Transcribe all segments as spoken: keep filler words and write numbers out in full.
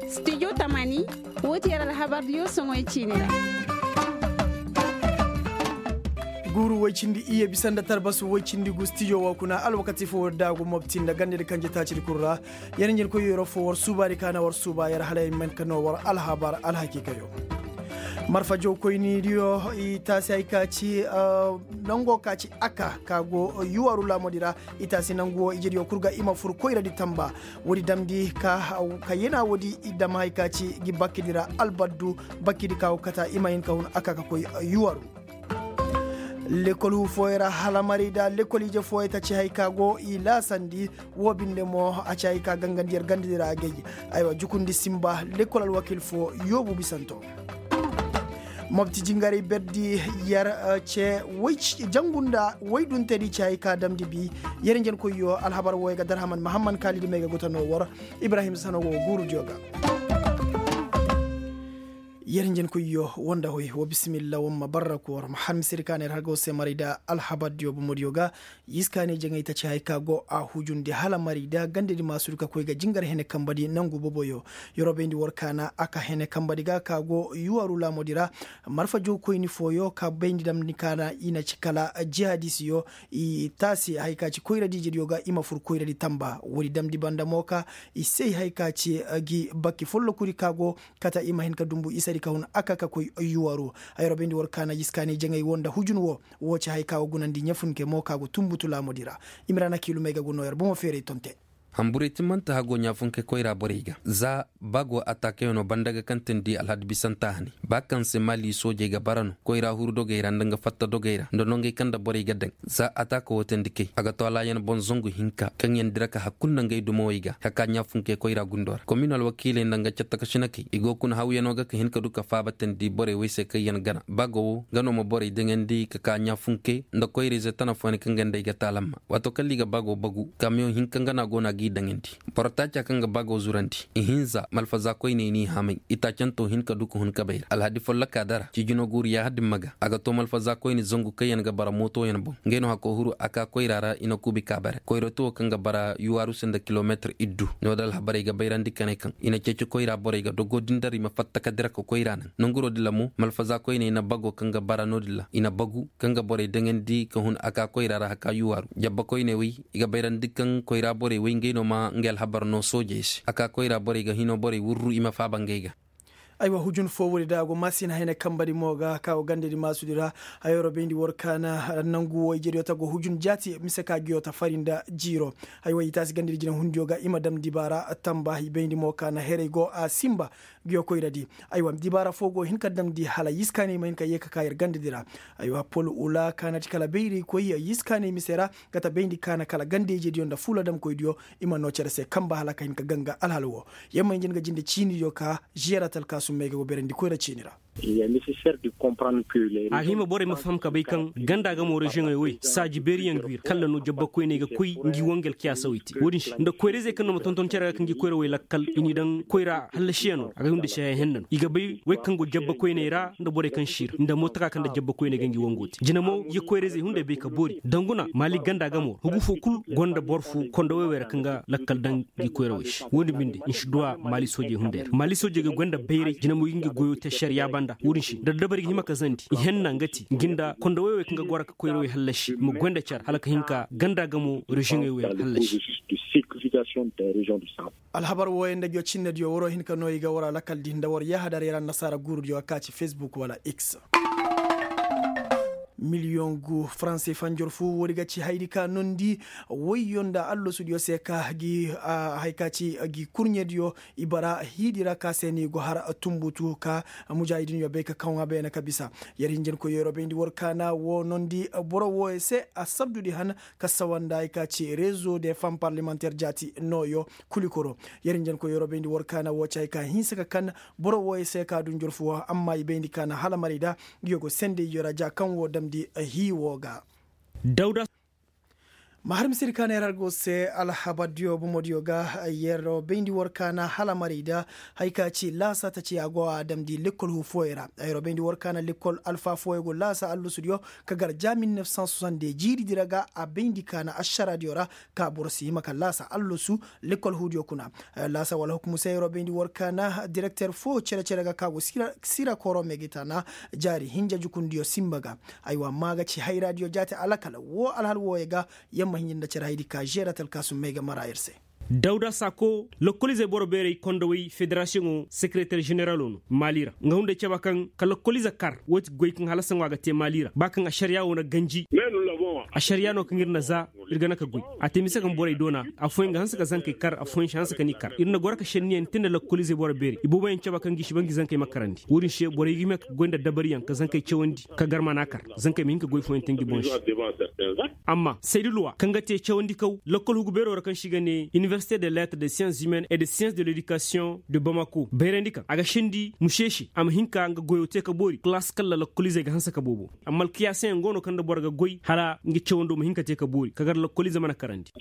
Studio tamani, woo ti yer alhabardiyo soŋoy ciini ra. Guuru woy cindi iyye bisa nda talbasu woy cindi gu studio woo kuna alwakati foo war daagu mobti nda gandedi kanje taacidi kul ra. Yer njenkoy yeroo foo war suubaadi ka na war suuba yer hala yer man ka noo war alhabar alhakiikayo. Marfa jawkoynidiyo i taasi hay ka ci nangoo ka ci aka ka go yuwaru laamudi ra. I taasi nangu woo ijediyo kul ga i ma fur koyradi tamba. Woodi damndi ka yena woodi i dam hay ka ci gi bakkidi ra albaddu. Bakkidi ka go kata i ma hin ka hun aka ka koy yuwaru. Lekol hu fooyey ra hala marayda lekol ije fooyey ta ci hay ka go i laasandi. Woo binde mo a ci hay ka gangandi yer gandadi ra agay. Aywa jukundi simba lekol alwakil foo yoobu bisanto. Mobti jingaray berdi yer ce jangu nda woyduntedi ci hay ka damndi bi. Yer njenkoyyo alhabar wooyo ga darhaman mahamman kaalidi may ga guta noo war. Ibrahim sano go guurudiyo ga. Yer njenkoyyo woo nda hoy woo bisimilla woo ma barra koor ma har misedi ka na yer har ga woo se maray da alhabardiyo bomodiyo ga. Yiskaanay jaŋay ta ci hay ka go a hujundi hala maray da gandedi maasudu ka koy ga jingar hene kambadi nangu boboyo. Yeroo bayndi war kaana a ka hene kambadi ga ka go yuwaru laamodi ra. Marfa jawkoyni fooyo ka bayndi damndi kaana i na ci kala jihadisiyo. I taasi hay ka ci koyradiijediyo ga i ma fur koyradi tamba woodi damndi banda mo ka i say hay ka ci gi bakki follokudi ka go kata i ma hin ka dumbu isadi ka hun aka ka koy yuwaru. Ay robindi war kaana yiskaani jaŋay wo nda hujun wo. Wo ci hay ka go gunandi ɲafunke mo ka go tumbutu laamodi ra. Imrana kiilumey ga go noo yer bomo feeray tonte. Hanburey timmante hago ɲafunke koyra borey ga za ba go ataakayano banda ga kaŋ teendi alhadi bisanta hane ba kaŋ se maali soojey ga bara no koyra huru dogey ra nda nga fatta dogey ra nda nongey kaŋ nda borey ga daŋ. Za ataaka wo teendi kay a ga to alaayan boŋ zangu hinka kaŋ yaŋ dira ka hakkul nda ngey dumawey ga ka ka ɲafunke koyra gundo ra komin alwakiiley nda nga cattakasinakey i go kuna hawyanoo ga ka hin ka du ka faaba teendi borey wey se kaŋ yaŋ gana ba go wo nga no ma borey daŋandi ka ka ɲafunke nda koyra-ize tana fooyaŋ kaŋ ga nda ay ga taalamma. Waato kala i ga bago bagu kamiyoŋ hinka nga no a go no a g'i daŋandi. Boro taaca kaŋ ga bago zurandi ihinza malfaza koyney n'i hamay i taacanto hin ka du ka hun kabay ra alhadi folloka dara ciijino guuru yaahadin ma ga a ga to malfaza koyne zangu kaŋ yaŋ ga bara mootoyaŋ boŋ. Ngey no hakko huru a ka koyra ra i na kuubi kaabare koyrooti wo kaŋ ga bara yuwaaru se nda kilomeetir iddu. No- din alhabarey ga bayrandi kanay kaŋ i na ceeci koyra borey ga dogo din dara i ma fatta ka dira ka koyra naŋ nanguro din ra mo malfaza koyney na bago kaŋ ga bara no-din ra i na bagu kaŋ ga borey daŋandi ka hun a ka koyra ra haka yuwaaru jabba koyney wey i ga bayrandi kaŋ koyra borey wey ngey no ma ngey alhabar no soojey se a ka koyra borey ga hino borey wurru i ma faaba ngey ga. Aywa hujun foo woodi da a go maasina hayna kambadi mo ga ka go gandadi maasudi ra. Hayo ra bayndi war kaana nangu wo ijediyo ta go hujun jaati mise ka ngiyo ta fari nda jiiro. Aywa i taasi gandadi jinahundiyo ga i ma dam dibaara tamba i bayndi mo kaana herey go a simba. Ngiyo koyradi aywa dibaara foo go hin ka damndi hala yiskaaney ma hin ka yee ka ka yer gandadi ra. Aywa pol ula kaanati kala bayraykoy yiskaaney mise ra. Gata bayndi kaana kala ganda-ijediyo nda fuuladamkoydiyo. I ma noo cere se kamba hala ka hin ka ganga alhala woo. Yer ma hin jin ga jinde ciinidiyo ka žiyara talkaasum may ga go berandi koyra ciini ra. A hima borey ma faham ka bay kaŋ ganda ga mo reziyoŋey wey saaji beeriyaŋ ngi wi ra kala no jabbakoyney ga koy ngi wangel kiyaasawey te wo-din se nda koyra-izey kaŋ no ma tonton cere ga ka ngi koyra wey lakkal i n'i daŋ koyra hallasiyanoo ra a ga hunda se haya henna no i ga bay wey kaŋ go jabbakoyney ra nda borey kaŋ si ra nda mootaka kaŋ nda jabbakoyney ga ngi wango te jina mo i ga koyra-izey hunday bay ka boori danguna maali ganda ga mo ra hugu foo kul go nda boro foo kondo wey wey ra kaŋ ga lakkal daŋ ngi koyrawey se wo-din binde nsi duwa maali soojey hunday ra maali soojey ga goy nda bayray jina mo i ga ngi goyo te ašariya banda wo-din se nda dabari ga hima ka zandi i henna nga ti ngi nda kondo wey wey kaŋ ga goro ka koyrawey hallasi i ma goy nda care hala ka hin ka ganda ga mo reziyoŋey wey hallasi. Alhabar wooyaŋ nda ngiyo cinnediyo waroo hin ka noo i ga war alakal di nda war yaahadaray ra annasaara guurudiyo a ka ci fesbuk wala x. Miliyoŋ gu faranse fanjor foo woodi ga ci hayadi ka nondi woyyo nda allasudiyo se ka gi haya ka ci gi kurɲediyo i bara hiidi ra ka se no i go har tumbutu ka mujaahidinyo bay ka kaŋ a beene ka bisa. Yer hinjankoy yeroo bayndi war kaana woo nondi boro wooyo se a sabdudi han ka sawa nda haya ka ci rezo de fam parlemanteer jaati nooyo. Kulikoro yer hinjankoy yeroo bayndi war kaana woo ci haya ka hinsa ka kan boro wooyo se ka du njorfu woo amma i bayndi kaana hala maray da. Ngiyo go sendey yora ja kaŋ woo damndi hii woo ga. Dawda. Ma har misiri ka na yer har go se alhabar diyo bomo diyo ga. Yer bayndi war ka na hala maray da haya ka ci laasa ta ci a go a damndi lekkol hu fooyey ra. Yer bayndi war ka na lekkol alfa fooyey go laasa allusu diyo ka gar ja mil nef san soixante de jiiri di ra ga a bayndi ka na ašara diyo ra ka boro si hima ka laasa allusu lekkol hu diyo kuna. Laasa wala hukumu se yer bayndi war ka na direkter fo cere-cere ga ka go sira koro megeta na jaari hinja jukundiyo simba ga. Aywa ma ga ci hayra diyo jaate alakal wo alhal wooyey ga. Yamma hinja nda cere haydi ka žeera talkaasum may ga mara yer se. Dawda sako lokoliizey boro beerey kondowey federasiyoŋo sekereter ženeralo no maali ra nga hunday caba kaŋ ka lokoliiza kar woo ti goy kaŋ halasa ŋwa ga te maali ra ba kaŋ ašariya woo na ganji. Ašariya no kaŋ ir na za ir ga na ka goy. A te mise kaŋ borey doona afooyaŋ ga hanse ka zankey kar afooyaŋ si hanse ka ni kar ir na goro ka šenniyaŋ te nda lokoliizey boro beerey ibooboyaŋ caba kaŋ ga i si ba ngi zankey ma karandi woo din se borey ga hima ka goy nda dabariyaŋ ka zankey cawandi ka gar mana kar. Zankey ma hin ka goy fooyaŋ te ngi boŋ se. Amma saydi luwa kaŋ ga te cawandikaw lakkol hugu beero ra kaŋ se i ga ne iniversite de letre de science humaine et de science de ledikasiyoŋ de bamako bayrandi kaŋ a ga sendi muse se a ma hin ka nga goyo te ka boori kalaas kala lakkoliizey ga hanse ka boobo. Amma alkiyaasayaŋ go no kaŋ nda boro ga goy hala nga cawando ma hin ka te ka boori ka gar lakkoliize mana karandi.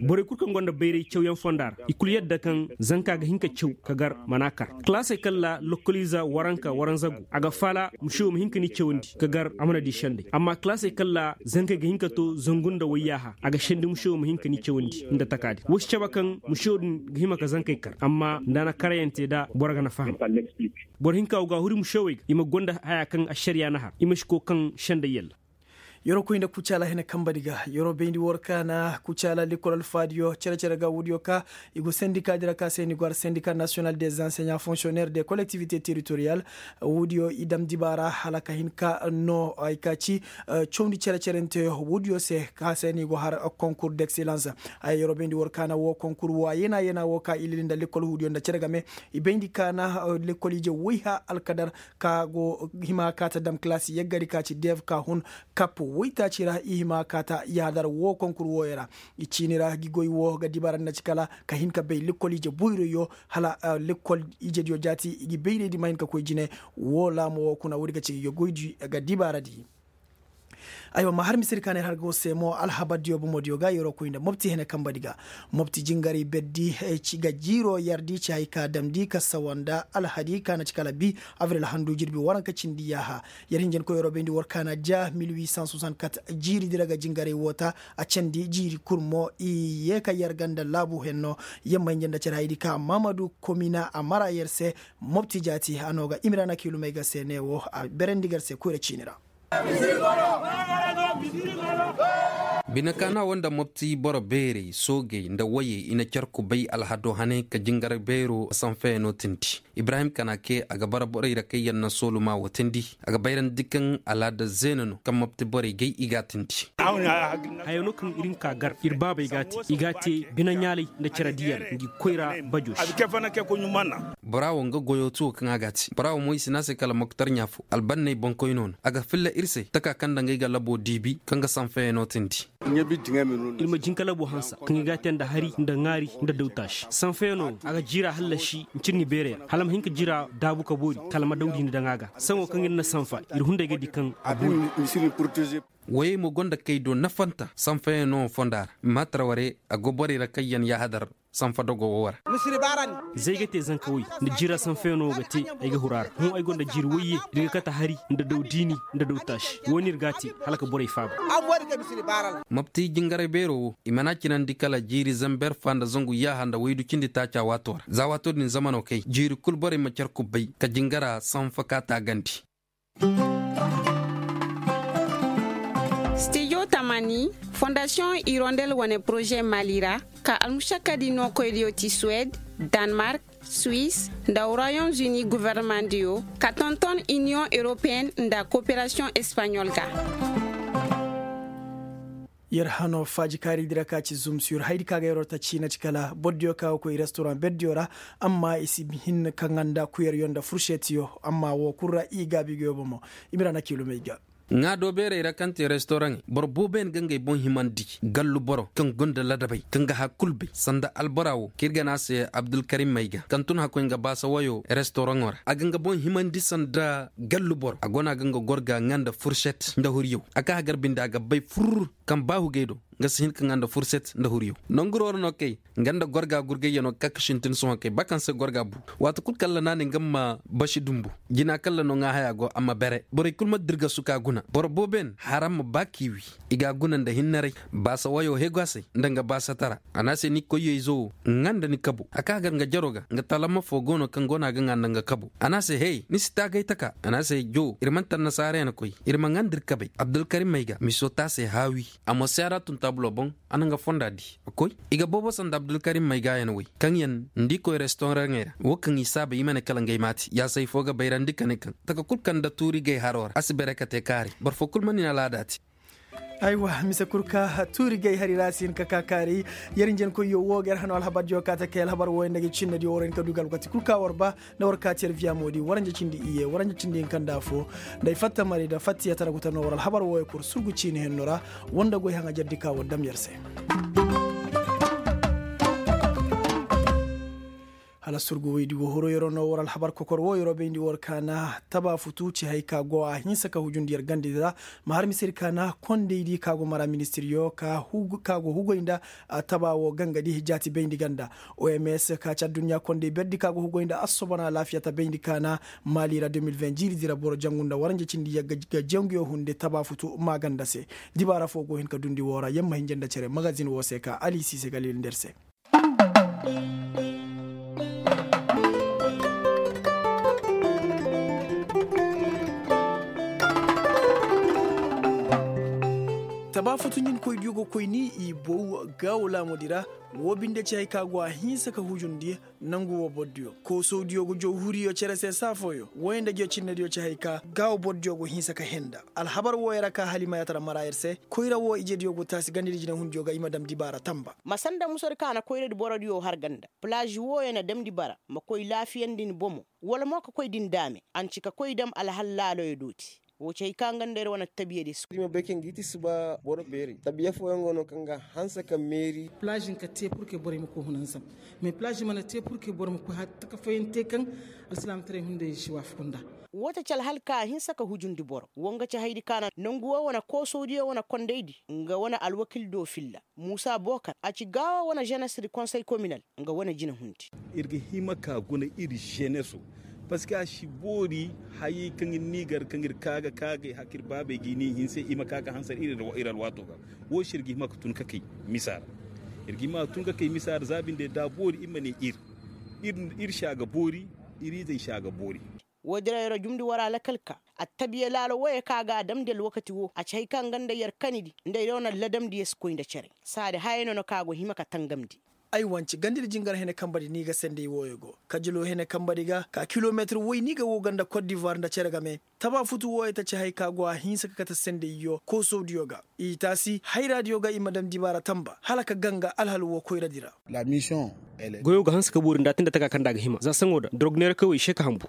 Borey kul kaŋ gonda bayray cawyaŋ fonda ra i kul yadda kaŋ zanka ga hin ka caw ka gar mana kar kalaasey kala lakkoliize waranka waranza go a ga faala muse wo ma hin ka ni cawandi ka gar a mana di sendey amma kalaasey kala zankey ga hin ka to zangu nda wayyaaha a ga sendi muse wo ma hin ka ni cawandi nda taka din wo si cabe kaŋ muse wo din ga hima ka zankey kar amma nda a na karayante nda boro ga na faham. Boro hinka wo ga a huri muse wey ga i ma gonda haya kaŋ ašariya na har i ma si koy kaŋ sendey yalla. Yeroo koy nda kucaala hina kambadi ga yeroo bayndi war ka na kucaala lekkol alfaadiyo cere-cere ga woodiyo ka i go sendika di ra ka se ni go har sendika nasiyonal des anseɲa fonksiyoneer des kolektivite teritoriyal. Woodiyo i dam dibaara hala ka hin ka no ay ka ci cawndi cere-cerenteyo woodiyo se ka se ni go har konkur d'ekselans. Ay yeroo bayndi war ka na woo konkur woo a yeena yeena woo ka i lili nda lekkol woodiyo nda cere game i bayndi ka na lekkol ije woy ha alkadar ka go hima ka ta dam kalaasi yaggari ka ci dev ka hun kap woytaaci ra i hima ka ta yaadar woo konkur wooyo ra. I ciini ra gi goy woo ga dibaara nda ci kala ka hin ka bay lekkol ije boyroyo hala lekkol ijediyo jaati i gi bayraydi ma hin ka koy jine. Woo laamo woo kuna woodi ga ci gi goydi ga dibaaradi. Aywa ma har misiri ka ne har go se mo alhabardiyo bomodiyo ga yeroo koy nda mopti hene kambadi ga mopti jingaray berdi ga jiiroo yardi ci hay ka damndi ka sawa nda alhadi ka na ci kala bi abril handu jirbi waranka cindi yaaha. Yer hinjankoy yeroo bayndi war ka na ja mil huit cent soixante-quatre jiiri di ra ga jingaray woo ta a candi jiiri kul mo i yee ka yer ga nda laabu henno. Yer ma hinja nda cere haydi ka mamadu komina a mara yer se mopti jaati a no ga imira na kiilumey ga se ne wo a berandi ga yer se koyra ciini ra. Bine kaana wo nda mopti boro beerey soogey nda woyey i na car kubay alhado hane ka jingar beero sanfeyaŋo tindi. Ibrahim kanake a ga bara borey ra kaŋ yaŋ na sooluma wo tindi. A ga bayrandi kaŋ alaada zeena no kaŋ mopti borey gay i g'a tindi. Haya no kaŋ ir hin ka gar ir baabey g'a te i g'a te bine ɲaalay nda cere diyaŋ ngi koyra bajo se. Bora wo nga goyo tuwo kaŋ a g'a te bora wo mo i si ne a se kala moktar ɲaafo albanney boŋkoyno no a ga filla ir se taka kaŋ nda ngey ga labo diibi kaŋ ga sanfeyaŋo tindi. Ir ma jinka labo hansa kaŋ i g'a te nda hari nda ŋaari nda dawtaasi sanfeyaŋo a ga jiira hallasi ncirni beeray ra hala ma hin ka jiira daabu ka boori kala ma dawdi ni daŋ a ga saŋo kaŋ ir na sanfa ir hunday ga di kaŋ a boori. Woyey mo gonda kay do nafanta sanfayaŋo fonda ra maatara ware a go borey ra kaŋ yaŋ yaahadar sanfa dogo wo ra. Za ay ga te zanka woy nda jiira sanfayaŋo ga te ay ga huru a ra hõ ay gonda jiiri woyye da ay ga kate hari nda daw diini nda daw taasi wo no ir ga a te hala ka borey faaba. Mopti jingaray beero wo i mana cinandi kala jiiri zamber fa nda zangu yaaha nda waydu cindi taaca waato ra za waato din zamano kay jiiri kul borey ma car kubbay ka jingara sanfa ka taagandi. Stijo tamani fondasiyoŋ irondel wane poroze mali ra ka almušakkadi nookoydiyo ti suwed, danmark, suis nda royaume uni governemandiyo ka tonton iniyoŋ europeyen nda koperasiyoŋ espaɲol ga. Yer hano faaji kaari di ra ka ci zumsur haydi ka ga yeroo ta ciina ci kala bordiyo ka ga koy restoraŋ berdiyo ra. Amma i si hin ka ŋanda kuyaryo nda furšetiyo amma woo kul ra i gaabi goyo bomo. Imira na kiilumey ga. Ŋaado beerey ra kaŋ te restoraŋey boro booboyaŋ ga ngey boŋ himandi gallu boro kaŋ gonda ladabey kaŋ ga har kul bay sanda albora wo kaŋ ir ga ne a se abdulkarim mayga kaŋ tun hakkoy nga baasa wayo restoraŋo ra a ga nga boŋ himandi sanda gallu boro a go no a ga nga gor ga ŋanda furšet nda huryaw a ka hagar binde a ga bay fur. Kaŋ baahu gay do. Nga si hin ka ŋaa nda furset nda huriyo nonguroo ra no kay. Nga nda gorga gurgayyanoo ga ka ka sintin sohõ kay ba kaŋ se gorga bu. Waati kul kaŋ ra na ne nga ma basi dumbu jina kaŋ ra no ŋaa hayaa go a ma bere borey kul ma dirgasu ka guna boro boobo yaŋ haram ma ba k'i wi. I g'a guna nda hinnaray baasa wayoo hegu a se nda nga baasatara. A ne a se ni koyyo-izo wo ŋaa nda ni kabo a ka gar nga jaroo ga nga talama foo go no kaŋ go no a ga ŋaa nda nga kabo a ne a se hey ni si taagay taka a ne a se joo ir mana tannasaara yaŋ koy. Ir ma ŋaa nda ir kabay abdulkarim mayga miso te a se haawi. A mo seera tun taabuloo boŋ. A na nga fonda di a koy. I ga boobo sanda abdulkarim mayga yaŋ wey kaŋ yaŋ nda i koy restoraŋey ra wo kaŋ i saaba i ma ne kala ngey maati yaasay foo ga bayrandi ka ne kaŋ taka kul kaŋ nda tuuri gay haroo ra a si bere ka te kaari boro foo kul ma nin alaada te. Aywa mise kul ka tuuri gay hari ra a si hin ka ka kaari. Yer njenkoyyo wo ga yer hano alhabardiyo ka ta kay alhabar wooyo nda ga cinnediyo war hin ka du ga alwakati kul ka war ba nda war ka ti yer viyamoodi waranja cindi iyye waranja cindi hinka nda afo. Nda ay fatta mari nda fatta yer tara guta no war alhabar wooyo kul surgu ciini henno ra. War nda goy haŋa jardi ka war dam yer se. Hala surgu woydi wo horo yeroo no war alhabar kokor wo yeroo bayndi war kaana taba futu ci hay ka go a hinsa ka hujundi yer gandi ra. Ma har misir kaana kondaydi ka go mara ministiriyo ka go hugoy nda taba wo gangadi jaati bayndi ganda. Oms ka ci adduɲɲa konday berdi ka go hugoy nda assobona alaafiya ta bayndi kaana. Maali ra deux mille vingt jiiri dira boro jangu nda waranja cindi yagga ga janguyo hunde taba futu maaganda se. Dibaara fo go hin ka dundi woo ra yer ma hinja nda cere magazin woo se ka ali siise ga lil nda yer se. Taba futu ɲin koy diyo go koy ni i bow gaawo laamudi ra. Woo binde ci hay ka go a hinsa ka hujundi nangu woo bordiyo koosowdiyo go jow huriyo cere se saafooyo wooyo nda jow cinnediyo ci hay ka gaawo bordiyo go hinsa ka henda. Alhabar wooyo ra ka halimayatara mara yer se koyra woo ijediyo go taasi gandidi jinehundiyo ga i ma dam dibaara tamba. Ma sanda musodi ka na koyradi borodiyo har ganda. Palaaz wooyo na damndi bara ma koy laafiyandi ni bomo wala mo ka koy din daame a na ci ka koy dam alhal laaloyo dooti. Woo ci hay ka nga nda ir wane tabiyadi si koy. Tabiya fooyaŋ go no kaŋ ga hanse ka meeri. Palaaz nka te purke borey ma koy hunanzam. Mais palaaz mana te purke boro ma koy har taka fooyaŋ te kaŋ alsilaamataray hunday si waafaku nda. Woo ta ci alhal ka a hinsa ka hujundi boro woo nga ci haydi ka na nongu woo wane koosowdiyo wane kondaydi nga wane alwakil do filla. Muusa bookar a ci gaawo wane ženes di konsey kominal nga wane jinahundi. Ir ga hima ka guna ir ženeso. Parceque a si boori hayey kaŋ ir n'i gar kaŋ ir ka ga ka ga ay haka ir baabey ga i n'i hinse i ma ka ga hanse ir alwaato ga. Woo se ir ga hima ka tun ka kay misa ra. Ir ga hima ka tun ka kay misa ra za binde da a boori ir ma ne ir. Ir si a ga boori. Ir izey si a ga boori. Woodin ra yer jumndi war alakal ka attabiya laalo wooyo kaŋ a ga a damndi alwakati woo a ci hay kaŋ nga nda yer kanidi nda yer wane ladamdiyo si koy nda cere. Saadi hayey no no kaŋ a go hima ka tangamndi. Ay wanci gandidi jingar hene kambadi ni ga senday wooyo go kajilo hene kambadi ga ka kilometir woy ni ga woo ga nda kot divuwar nda cere game. Taba futu wooyo ta ci hay kaŋ a go a hinsa ka kate sendayyo koosowdiyo ga. I taasi hayraadiyo ga i ma daŋ dibaara tamba hala ka ganga alhal woo koyradi ra. Goyoo ga hanse ka boori nda a te nda taka kaŋ nda a ga hima za saŋo da dorog neerakawey se ka hanbu.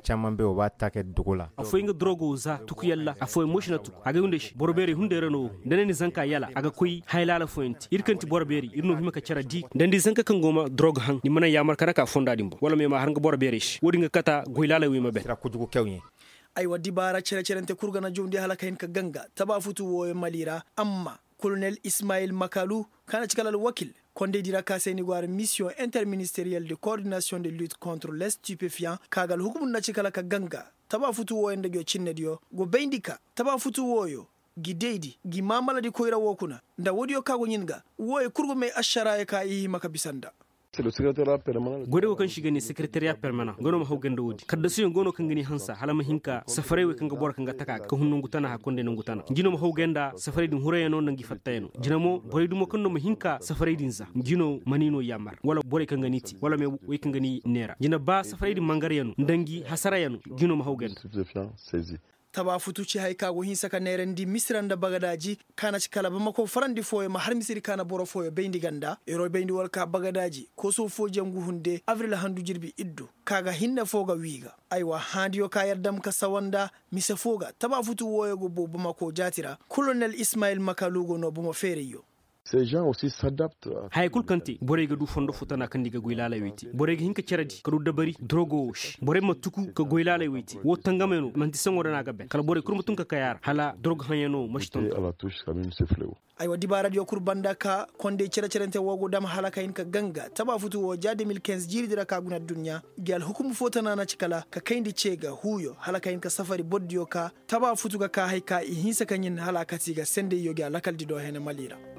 Afooyaŋ ga dorogo za tuku yalla afooyaŋ mo si na tuku a ga ay hunday se boro beerey hunday ra no wo. Nda ne ni zanka yala a ga koy haylaala fooyaŋ te ir kaŋ ti boro beerey ir no hima ka care di nda ni zanka kaŋ go ma dorog haŋ ni ma naŋ yaamar ka dake a fonda din boŋ wala ma ay ma har nga boro beerey se wo-din ga kata goy laaley wo ay ma ben. Aywa dibaara cere-cerante kul ga na jawndi hala ka hin ka ganga taba futu wooyo mali ra. Amma kolonel ismayil makalu kaŋ na ci kala alwakil kondaydi ra ka se ni go har misiyoŋ interministeriyel de kordinasiyoŋ de lit kontre lestipefiyaŋ ka ga alhukumu nda ci kala ka ganga taba futu wooyo nda go cinnediyo go bayndi ka taba futu wooyo gi daydi gi maamaladi koyra woo kuna nda woodiyo kaŋ go ɲin ga. Wooyo kul go may ašaraayo ka i hima ka bisa nda. Goy da go kaŋ se i ga ne sekereteriya permanan nga no ma haw ganda woodi kaddasuyaŋ go no kaŋ ga ni hansa hala ma hin ka safaray wey kaŋ ga boro kaŋ ga taka ga ka hun nangu tana hakkonday nangu tana ngi no ma haw ganda safaray din hurayano nda ngi fattayano. Jina mo borey dumo kaŋ no ma hin ka safaray din za ngi no ma ni no yaamar wala borey kaŋ ga ni te wala me wey kaŋ ga ni neera jina ba safaray din mangaryano nda ngi hasarayano ngi no ma haw ganda. Taba futu ci hay ka go hinsa ka neerandi misira nda bagadaaji ka na ci kala bamako farandi fooyo ma har misiri ka na boro fooyo bayndi ganda yeroo bayndi war ka bagadaaji kooso foo jangu hunde abril handu jirbi iddu ka ga hinne foo ga wii ga. Aywa haandiyo ka yer dam ka sawa nda mise foo ga taba futu wooyo go boo bamako jaati ra kolonel ismayil makalu go noo bomo feerayyo. Haya kul kaŋ te borey ga du fondo fo tana kaŋ nda i ga goy laaley wey te borey ga hin ka cere di ka du dabari dorogo wo se borey ma tuku ka goy laaley wey te wo tangamey no manti saŋo da no a ga ben kala borey kul ma tun ka kay a ra hala dorogo haŋyaŋo ma si tonton. Aywa dibaaradiyo kul banda ka kondey cere-cerente wo go dam hala ka hin ka ganga taba futu wo ja de mil kinze jiiridi ra ka guna adduɲɲa. Gi alhukum fo tana na ci kala ka kayndi ce ga huuyo hala ka hin ka safari bordiyo ka taba futu ga ka hay ka i hinsa ka ɲin hala a kati ga sendey yo gi a lakaldi do hene mali ra.